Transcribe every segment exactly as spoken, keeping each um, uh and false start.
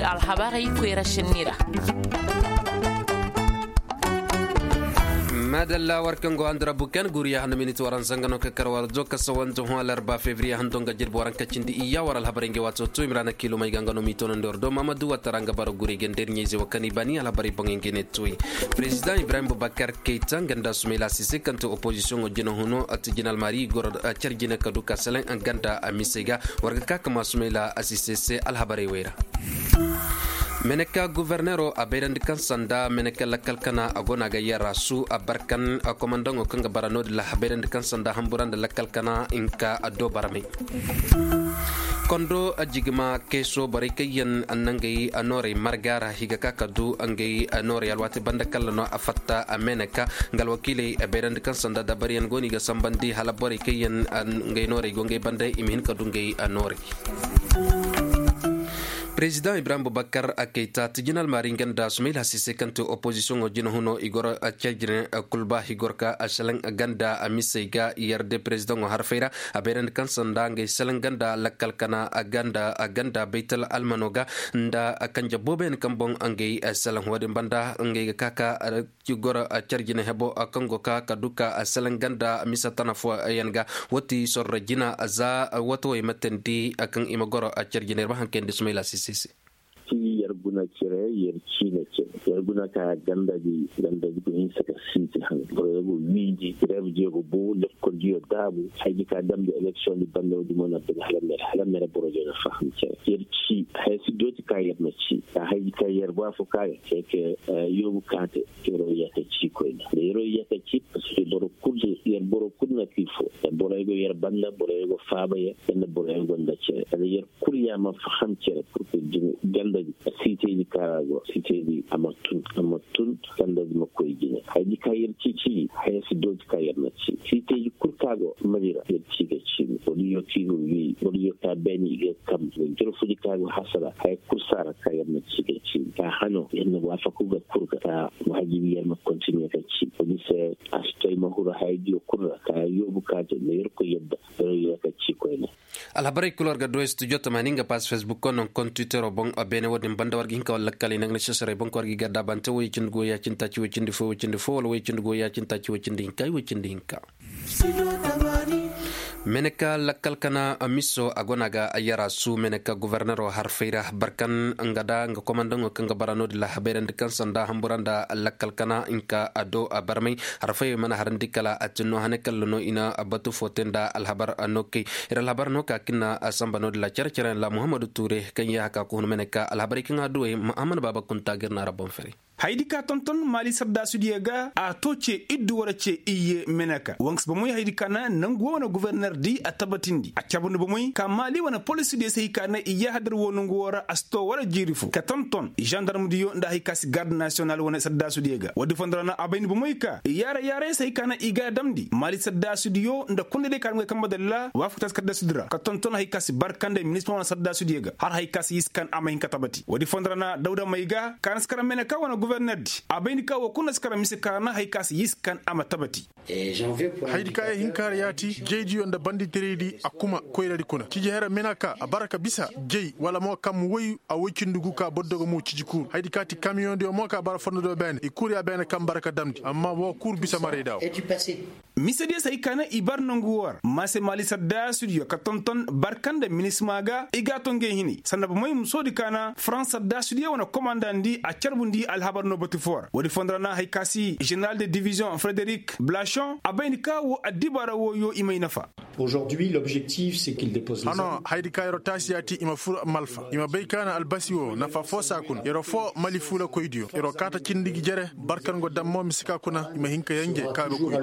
Alhabarey koyra sinni ra. Maadalla war kaŋ go handi ra bukan guriya handa minit waran zanga no ka kar war zo ka sawante hõ alarba febriye hando nga jirbi waran ka cindi iyya war alhabarey nga waato to imrana kilo may ga nga no m'i tonandi war do mamadu watara nga bara gurey ga ndeer ɲayze wo kaŋ i baani alhabarey boŋey nga ne toy. Prezidaŋ ibrahim bubakar kayta nga nda sumayla sise kaŋ te opozisiyoŋo jina huno ati jinal mari goro car jina ka du ka seleŋ nga nda misey ga. War ga ka ka ma sumayla sise se alhabarey wey ra. Meneka guverneero a bayrandi kaŋ sanda meneka lakkal kana a go no a ga yara su a barkan komandaŋo kaŋ ga bara no-din ra a bayrandi kaŋ sanda hambura nda lakkal kana hinka a do barmay. Kondo a jigima keeso borey kaŋ yaŋ a na ngey a noorey marga ra i ga ka ka du ngey a noorey alwaati banda kalla no a fatta a meneka nga alwakiiley a bayrandi kaŋ sanda dabariyaŋ go no i ga sambandi hala borey kaŋ yaŋ ngey noorey go ngey banda i ma hin ka du ngey a noorey. Prezidaŋ ibrahim bubakar a kayta tijinal maari nga nda sumayla sise kaŋ te opozisiyoŋo jina huno i goro a cajine kulba i goro ka a selaŋ ganda a misey ga yarde prezidaŋo harfey ra. A bayrandi kaŋ sanda ngey selaŋ ganda lakkal kana a ganda a ganda baytal almano ga nda kanje booboyaŋ kaŋ boŋ ngey selaŋ wo-din banda ngey ga ka ka goro a car jine hebo kaŋ go ka ka du ka a selaŋ ganda misa tana fooyaŋ ga. Wati sorro jina za wato wey ma teendi kaŋ i ma goro a car jine ir ma haŋ kayandi sumayla sise se. Ti yer guna cire yer ciine cire yer guna ka ganda di ganda di go hinsa ka siiti haŋ boro yer go wiindi reeb diyo go boo lekkol diyo daabu. Hay di ka damndi eleksiyoŋ di banda wo-din mo na bine hala mere hala mere boro diyo na faham cire yer cii. Hay si dooti ka yer na cii ka hay di ka yer baa fo ka yer cee ke yoobu kaate. Yer wo yaka cii koyne nda yer wo yaka cii parceque boro kul yer boro kul na kii fo. Boro yer go yer banda boro yer go faaba yer nda boro yer go nda cere nda yer kul yer ma faham cere purke jine ganda di. Siitey di ka ra go siitey di a ma tun a ma tun ganda di ma koy jine hay di ka yer cii cii hay si dooti ka yer na cii siitey di kul ka go mali ra yer cii ga cii ni wala yo ka i go wii wala yo ka beeni i ga kam joro fo di ka go hasara hay kul saara ka yer na cii ga cii ka hano yer na waafaku ga kul ga ka waajibi yer ma kontiniye ka cii wala se a si to ay ma huru haya diyo kul ra ka yoobu ka te nda yer koy yadda yer ka cii koyne. Alhabarey kul war ga duwey studio tamaani nga pass facebook ko non kon twittero boŋ beene wo-din banda war ga hin ka wala lakkaley nangana sesarey boŋ ko war ga i ga daabante woy cindi go ya cindi taaci woy cindi fo woy cindi fo wala woy cindi go ya cindi taaci woy cindi hinka ay woy cindi hinka. Meneka lakkal kana miso a go no a ga yara su meneka gobornero harfey ra barkan nga da nga komandaŋo kaŋ ga bara no-din ra a bayrandi kaŋ sanda hambura nda lakkal kana hinka a do a barmay. Harfey mana harandi kala a tinno hane kalla no i na batu fo te nda alhabar no kay ir alhabar no ka kaŋ na samba no-din ra care care ra muhammadu ture kaŋ ya haka ka hun meneka alhabarey kaŋ a duwey ma a mana baaba kunta ga ir na ra boŋ fere. Haydi ka tonton maali saddaasu diyo ga a to ce iddu wara ce iyye meneka wanks bomoy haydi ka na nangu wo wane goborner di a tabatindi a cabandi bomoy ka maali wane polis diyo se hay ka na iyye hadar wo nangu wo ra a si to wara jiiri fo ka tonton zandarm diyo nda hay ka si garde nasiyonal wane saddaasu diyo ga woodi fondo ra na a bayndi bomoy ka iyye ra yaaray se hay ka na i ga a damndi maali saddaasu diyo nda kunda diyo ka na ngey kamba dalla waafakta saddaasu di ra ka tonton hay ka si barkande minisma wane saddaasu diyo ga har hay ka si yiskan a ma hin ka tabati woodi fondo ra na dawda may ga ka na si kara meneka wane goborner di a bayndi ka woo kul na si kara mise ka ra na hay ka si yiskan a ma tabati. Haydi ka ya hin ka har yaati jaydiyo nda banditeraydi a kuma koyradi kuna ciji hera mena ka a bara ka bisa jay wala mo kam woy a woy cindi gu ka bordo ga mo ciji kuuru haydi ka ti kamiyoŋdiyo mo ka bara fondo do beene i kuuru ya beene kaŋ bara ka damndi amma woo kuuru bisa maray da woo. Misediyo se hay ka na i bar nangu woo ra ma se maali saddaasudiyo ka tonton barka nda minisma ga i ga a to ngey hinay sanda bomey musoodi ka na farans saddaasudiyo wane komandandi a carbundi alhabar no batu foo ra woodi fondo ra na hay ka si zeneral de diviziyoŋ frederik blachon a bay ni ka woo addibaara wooyo i may nafa. Hano haydi ka yer'o taasi yaati i ma fur malfa i ma bay ka na albasi woo nafa foo saa kuna yer'o foo mali fuulakoydiyo yer'o kaata cindi gi jere barka nga dam mo mise ka kuna i ma hin ka yanje ka ga koy.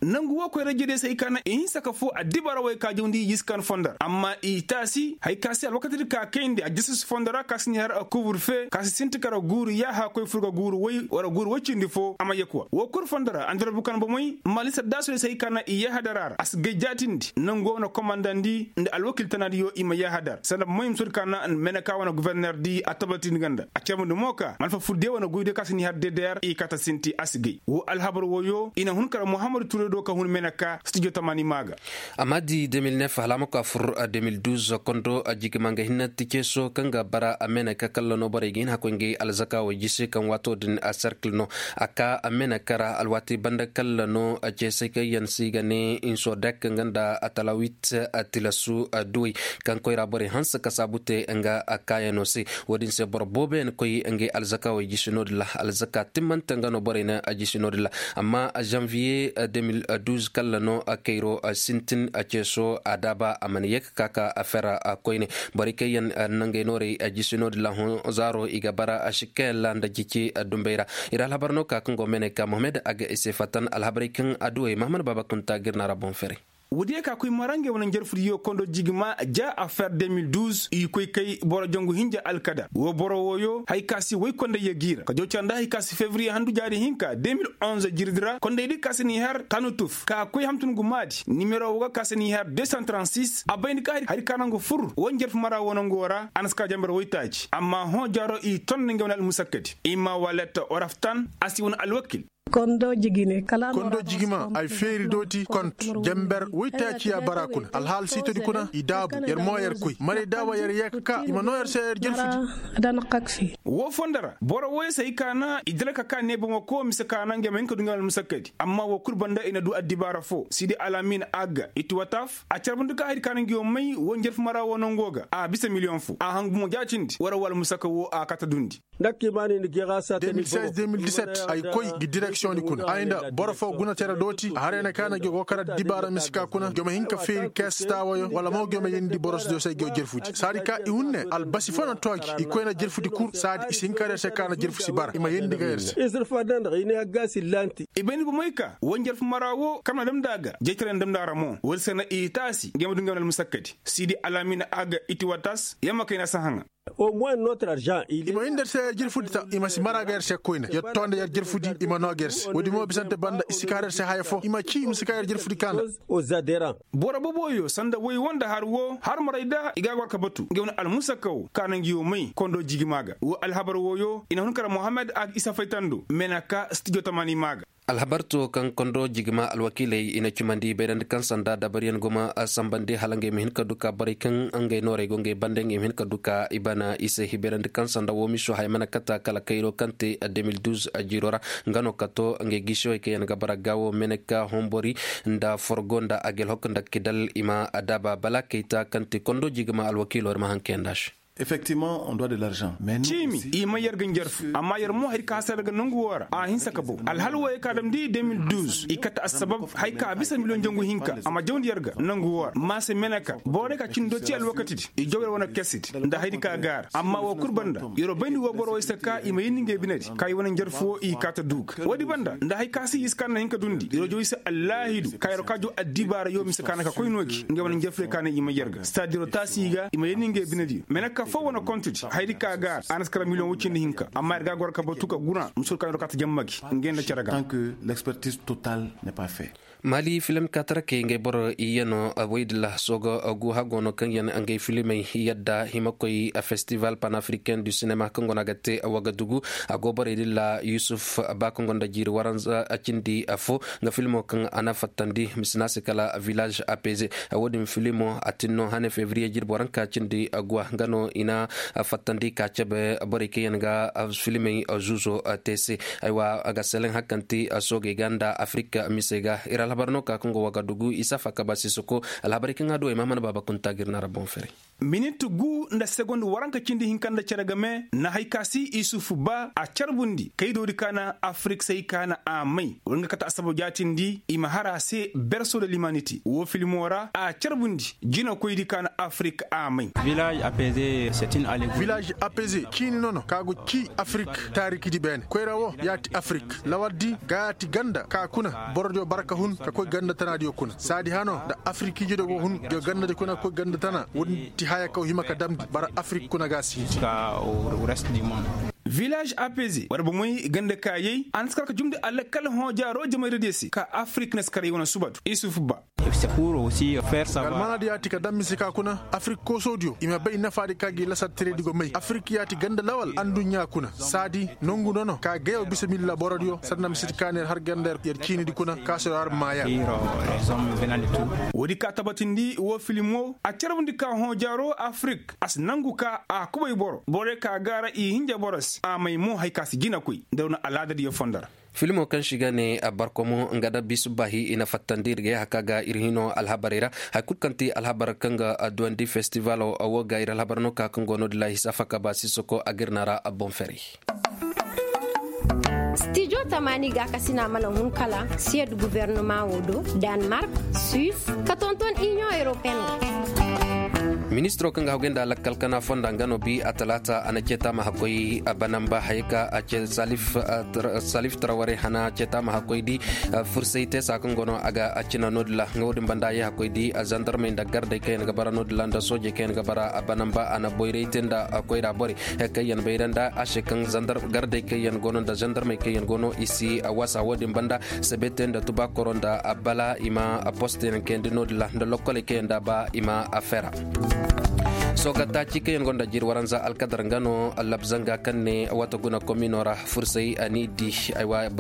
Nangu woo koyra-ijediyo se hay ka na i hinsa ka foo addibaara wey ka jawndi yiskan fondo ra amma i taasi hay ka se alwakatidi ka kayndi a jasas fondo ra ka si ni har a kubur fe ka si sinti kara guuru yaaha koy fur ga guuru woy wara guuru woy cindi foo a ma yekuwa woo kul fondo ra andira bukan bomey maali saddaasu se hay ka na i yahadar a ra a si gay jaatindi nangu wo wane komandandi nda alwakil tanaadiyo i ma yahadar sanda bomoy ma soodi ka na meneka wane goforner di a tabatindi nga nda a carbandi mo ka malfa fur de wane goydiyo ka si n'i har ddr i kata sinti a si gay woo alhabar wooyo i na hun kara muhammadu turay do ka hun meneka stijo tamaani maa ga. Amma di deux mille neuf hala a ma koy a fur deux mille douze kondo jigima nga hinne ti ceeso kaŋ ga bara a meneka kalla no borey ga hin hakkoy ngey alzaka wo jisi kaŋ waato din a serkil no a ka a meneka ra alwaati banda kalla no ceesey kaŋ yaŋ se i ga ne insodek nga nda atalawit tilasu duwey kaŋ koyra borey hanse ka saabu te nga kaayano se. Wo-din se boro boobo yaŋ koy ngey alzaka wo i jisi no-din ra alzaka timmante nga no borey na a jisi no-din ra. Amma janviye deux mille douze kalla no kayro sintin ceeso a daaba a mana ye ka ka ka a fera koyne. Borey kaŋ yaŋ nangey noorey a jisi no-din ra hõ zaaro i ga bara a si kaŋ yaŋ ra nda jici dumbey ra. Ir alhabar no ka kaŋ go mene ka mohamed a ga i se fatan alhabarey kaŋ adduwey mahaman baaba kunta ga ir na ra boŋ ferey. Woodiyo ka koy mara ngey wane njarfudiyo kondo jigima ja affaire deux mille douze i koy kay boro jangu hinja alkadar woo boro wooyo hay ka se woy kondey ya g'i ra ka jaw cara nda hay ka se fevriye handu jaari hinka deux mille onze jirdi ra kondey di ka se n'i har tanutuf ka koy hamtun gumaadi nimero woo ga ka se n'i har deux cent trente six a bayndi ka hari ka nangu fur woo njarfu mara woo nangu woo ra a na si ka janber woytaaci amma hõ jaaro i ton nda ngey wane almusakkadi i ma waletta oraftan a si wane alwakil. Kondo jigima ay feeri dooti kont janber woytaaciya bara kuna alhaal siitodi kuna i daabu yer mo yer koy maray daaba yer yee ka ka i ma noo yer se yer jerfudi. Woo fondo ra boro wooyo se hay ka na i dira ka ka nee bomo ko mise ka na ngey ma hin ka du ngey wane almusakkadi amma woo kul banda i na du addibaara foo sidi alamin agga iti wataf a carbundi ka haydi ka na ngey wo may woo njarfu mara woo nangoo ga a bisa miliyoŋ foo a hangu mo jaatindi war woo almusakka woo a kata dundi. Deux mille seize deux mille dix-sept ay koy gi direksiyoŋ di kuna ay nda boro foo guna tere dooti a harayna ka na gi go kara dibaara misika kuna gi ma hin ka feeri kees taawayo wala mo gi ma yeendi borosdiyo se gi wo jerfudi saadi ka i hun ne albasi foo na too gi i koy na jerfudi kul saadi i si hin ka har yer se ka na jerfu si bara i ma yeendi ga yer se. I bayndi bomoy ka woo njarfu mara woo kaŋ na damndi a ga jaytaray na damndi a ra mo woodi se na i taasi ngey ma du ngey wane almusakkadi siidi alamin a ga iti watas yamma kayna si haŋa. I ma hin nda yer se yer jirfudi ta i ma si mara ga yer se koyne yer too nda yer jirfudi i ma noo ga yer se woodi mo bisante banda i si ka har yer se haya foo i ma cii i ma si ka yer jirfudi ka nda. Boro boboyo sanda woy wo nda har wo har maray da i ga a gor ka batu ngey wane almusakka wo ka na ngi wo may kondo jigima ga wo alhabar woyo i na hun kara mohammed a ga isa faytando mena ka stijo tamani ma ga. Alhabar to kaŋ kondo jigima alwakiiley i na cumandi bayrandi kaŋ sanda dabariyaŋ guma sambandi hala ngey ma hin ka du ka borey kaŋ ngey noorey go ngey bande ngey ma hin ka du ka i bana i se hibayrandi kaŋ sanda wo miso haya mana kata kala kayro kaŋ te deux mille douze jiiro ra. Nga no ka to ngey gisiyowey kaŋ yaŋ ga bara gaawo mene ka hombori nda forgo nda agelhok nda kidal i ma daaba bala kayta kaŋ te kondo jigima alwakiilo ir ma haŋ kayanda se. Effectivement on doit de l'argent mais ciimi i may yer ga njarfu amma yer mo hari ka hasara ga nangu woo ra a hinsa ka bow alhal wooyey ka damndi deux mille douze i kate assabab hari ka a bisa miliyoŋ jangu hinka a ma jawndi yer ga nangu woo ra maase mene ka borey ka cindi do ci alwakatidi i jaw yer wane kesidi nda hayadi ka gaara amma woo kul banda yer wo bayndi woo boro wooyey se ka i ma yeendi ngey binedi ka i wane njarfu woo i kaata duuga woodi banda nda hari ka se i si ka na hin ka duundi yer wo jaw i se allaahidu ka yer wo ka jaw addibaara yoo mise ka na ka koy noo gi ngey wane njarfu dey ka na i may yer ga sitaadiroo taasi i ga i ma yeendi ngey binediyo mene ka foo wane kontudi hayadi ka gaara a na si kara miliyoŋ woy cindi hinka amma yer ga a goro ka batu ka guna musul ka yer wo ka ta jamma gi ngey nda cere ga. Tant que l'expertise totale n'est pas fait. Maali filim kaatarakey ngey boro iyyanoo woy dilla sooga gu hagoo no kaŋ yaŋ ngey filimey yadda hima koy festival panafricain du cinema kaŋ go no a ga te wagadugu a go borey dilla yusuf ba kaŋ go nda jiiri waranza cindi fo nga filimo kaŋ a na fattandi misina se kala village apeze. Wo-din filimo a tin no hane fevriye jirbi waranka cindi guwa nga no i na fattandi ka cabe borey kaŋ yaŋ ga filimey zuuzo te se. Aywa a ga seleŋ hakanti soogey ga nda afirika misey ga ir alhabar no ka kaŋ go wagadugu isa faka ba sisoko alhabarey kaŋ a du ay mahamana baaba kunta ga ir na ra boŋ ferey. Minit gu nda segond waranka cindi hinka nda cere game na hay ka si isufu ba a carbundi kaydoodi ka na afirik say ka na a may wala nga kate asabab jaatindi i ma har a se berso de limaniti woo filimo ra a carbundi jinakoydi ka na afirik a may. Village apeze ciini nono ka go ci afirik taarikidi beene koyra woo ya ti afirik lawardi ga ya ti ganda ka kuna borodiyo bara ka hun ka koy ganda tanaadiyo kuna saadi hano nda afirikiijediyo go hun diyo gandadi kuna ka koy ganda tana wo-din ti haya kaŋ hima ka damndi bara afirik kuna ga a si hiti. Village apeze war bomey ganda kaayey a na si kar ka jumndi alakal hõ jaaro jamayra diyo se ka afirik na si karay wane suba du isuf ba. Almaana diyo ya ti ka daŋ mise ka kuna afirik koosodiyo i ma bay nafaadi ka gi lasar tiredi go may afirik ya ti ganda lawal adduɲɲa kuna saadi nongu nono ka gayo bisa milla borodiyo sanda mise di ka na yer har ganda yer ciinidi kuna ka se yer har maaya. Woodi ka tabatindi woo filim woo a carbundi ka hõ jaaro afirik a si nangu ka a kubay boro borey ka gaara i hinja boro se a may mo hari ka si jinakoy nda war na alaadadiyo fondo ra. Filmo kaŋ se i ga ne barkomo nga da bisu bahi i na fattandi ir ga yahaka ga ir hino alhabarey ra. Hari kulu kaŋ ti alhabar kaŋ ga duwandi festival woo ga ir alhabar no ka kaŋ go no dila hisa faka ba sisoko a ga ir na ra boŋ ferey. Stijo tamaani ga kasina mana hun kala siyed guvernoma woo do, danmark, suis, ka tonton inion europeen. Ministiro kaŋ ga haggoy nda lakkal kana fonda nga no bi a talaata a na ceeta ma hakkoy a banamba haya ka a ce salif taraware hana ceeta ma hakkoy di. Fursay teesa kaŋ go no a ga a cina no- din ra nga wo- din banda a ye hakkoy di zandarmey nda gardey kaŋ yaŋ ga bara no- din ra nda soojey kaŋ yaŋ ga bara a banamba a na boyray te nda koyra borey kaŋ yaŋ bayra nda a se kaŋ gardey kaŋ yaŋ go no nda zandarmey kaŋ yaŋ go no i si wasa wo- din banda. Sabe te nda tubaakoro nda bala i ma poste yaŋ kayandi no- din ra nda lokkoley kaŋ yaŋ da ba i ma a fera. Soga taaci kaŋ yaŋ gonda jiri waranza alkadar nga no labzanga kaŋ ne wata guna komino ra fursay a n'i di.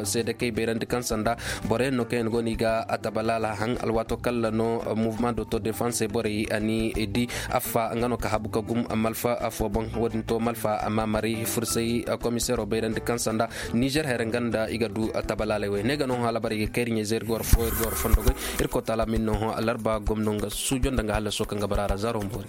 Seede kay bayrandi kaŋ sanda boro yaŋ no kaŋ yaŋ go no i ga a tabalaala haŋ alwaato kalla no mouvement d'auto defense borey a n'i di. Affa nga no ka habu ka gum malfa affo boŋ wo- din to malfa amma mari fursay komiseero bayrandi kaŋ sanda nizer here nga nda i ga du tabalaaley wey ne ga no hõ alhabarey ga kayri ɲayzey ir ga war fo ir ga war fondo goy. Irkoy taala ma ir no hõ alarba gomno nga suujo nda nga hallaso kaŋ ga bara a ra zaaro ma boori.